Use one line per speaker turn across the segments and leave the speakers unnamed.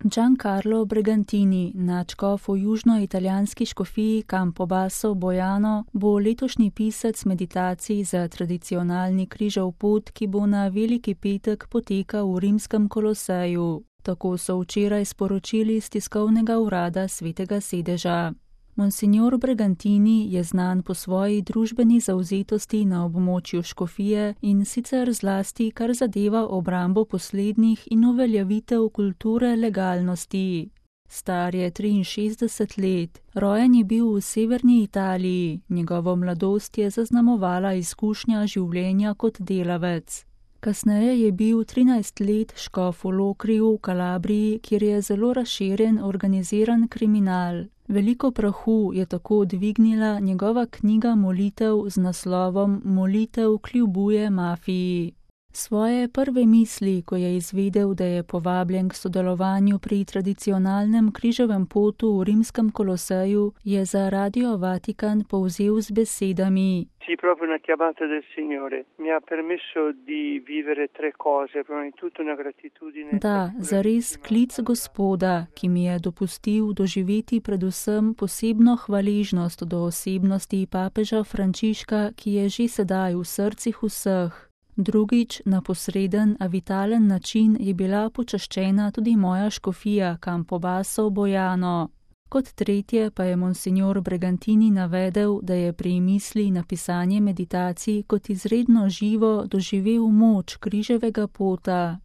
Giancarlo Bregantini, nadškof v južnoitalijanski škofiji Campobasso Bojano, bo letošnji pisec meditacij za tradicionalni križev pot, ki bo na Veliki petek potekal v rimskem Koloseju. Tako so včeraj sporočili z tiskovnega urada Svetega sedeža. Monsignor Bregantini je znan po svoji družbeni zavzetosti na območju škofije in sicer zlasti, kar zadeva obrambo poslednjih in uveljavitev kulture legalnosti. Star je 63 let, rojen je bil v severni Italiji, njegovo mladost je zaznamovala izkušnja življenja kot delavec. Kasneje je bil 13 let škof v Lokriju v Kalabriji, kjer je zelo razširjen organiziran kriminal. Veliko prahu je tako dvignila njegova knjiga molitev z naslovom Molitev kljubuje mafiji. Svoje prve misli, ko je izvedel, da je povabljen k sodelovanju pri tradicionalnem križevem potu v rimskem Koloseju, je za Radio Vatikan povzel z besedami:
Sì, proprio una chiamata del Signore. Mi ha permesso di vivere tre cose, prima di tutto una gratitudine.
Da, zares klic Gospoda, ki mi je dopustil doživeti predvsem posebno hvaležnost do osebnosti papeža Frančiška, ki je že sedaj v srcih vseh. Drugič, na posreden, a vitalen način je bila počaščena tudi moja škofija Campobasso Bojano. Kot tretje pa je monsignor Bregantini navedel, da je pri misli na pisanje meditacij kot izredno živo doživel moč križevega pota.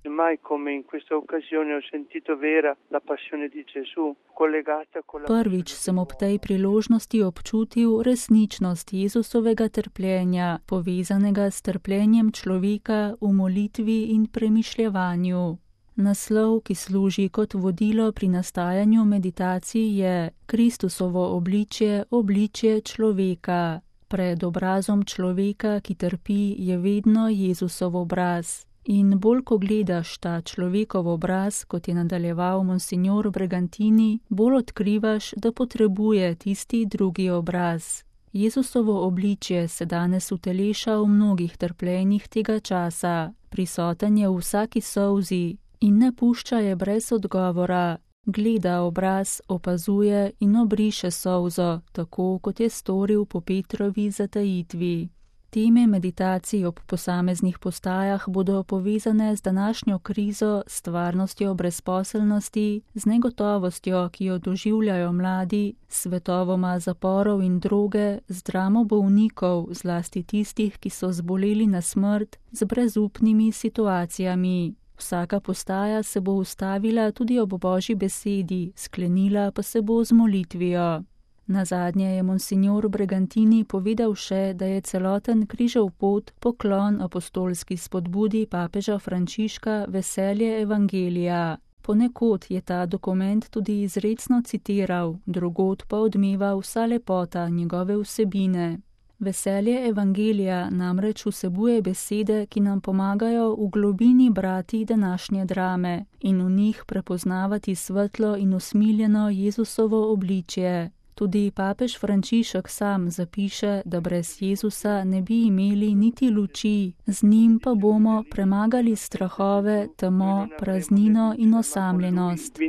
Prvič sem ob tej priložnosti občutil resničnost Jezusovega trpljenja, povezanega s trpljenjem človeka v molitvi in premišljevanju. Naslov, ki služi kot vodilo pri nastajanju meditacij, je Kristusovo obličje, obličje človeka. Pred obrazom človeka, ki trpi, je vedno Jezusov obraz. In bolj ko gledaš ta človekov obraz, kot je nadaljeval monsignor Bregantini, bolj odkrivaš, da potrebuje tisti drugi obraz. Jezusovo obličje se danes uteleša v mnogih trpljenjih tega časa. Prisoten je v vsaki solzi in ne pušča je brez odgovora. Gleda obraz, opazuje in obriše solzo, tako kot je storil po Petrovi zatajitvi. Teme meditacij ob posameznih postajah bodo povezane z današnjo krizo, s stvarnostjo brezposelnosti, z negotovostjo, ki jo doživljajo mladi, s svetovoma zaporov in droge, z dramo bolnikov, zlasti tistih, ki so zboleli na smrt, z brezupnimi situacijami. Vsaka postaja se bo ustavila tudi ob Božji besedi, sklenila pa se bo z molitvijo. Nazadnje je monsignor Bregantini povedal še, da je celoten križev pot poklon apostolski spodbudi papeža Frančiška veselje evangelija. Ponekod je ta dokument tudi izrecno citiral, drugod pa odmeva vsa lepota njegove vsebine. Veselje evangelija namreč vsebuje besede, ki nam pomagajo v globini brati današnje drame in v njih prepoznavati svetlo in usmiljeno Jezusovo obličje. Tudi papež Frančišek sam zapiše, da brez Jezusa ne bi imeli niti luči, z njim pa bomo premagali strahove, temo, praznino in osamljenost.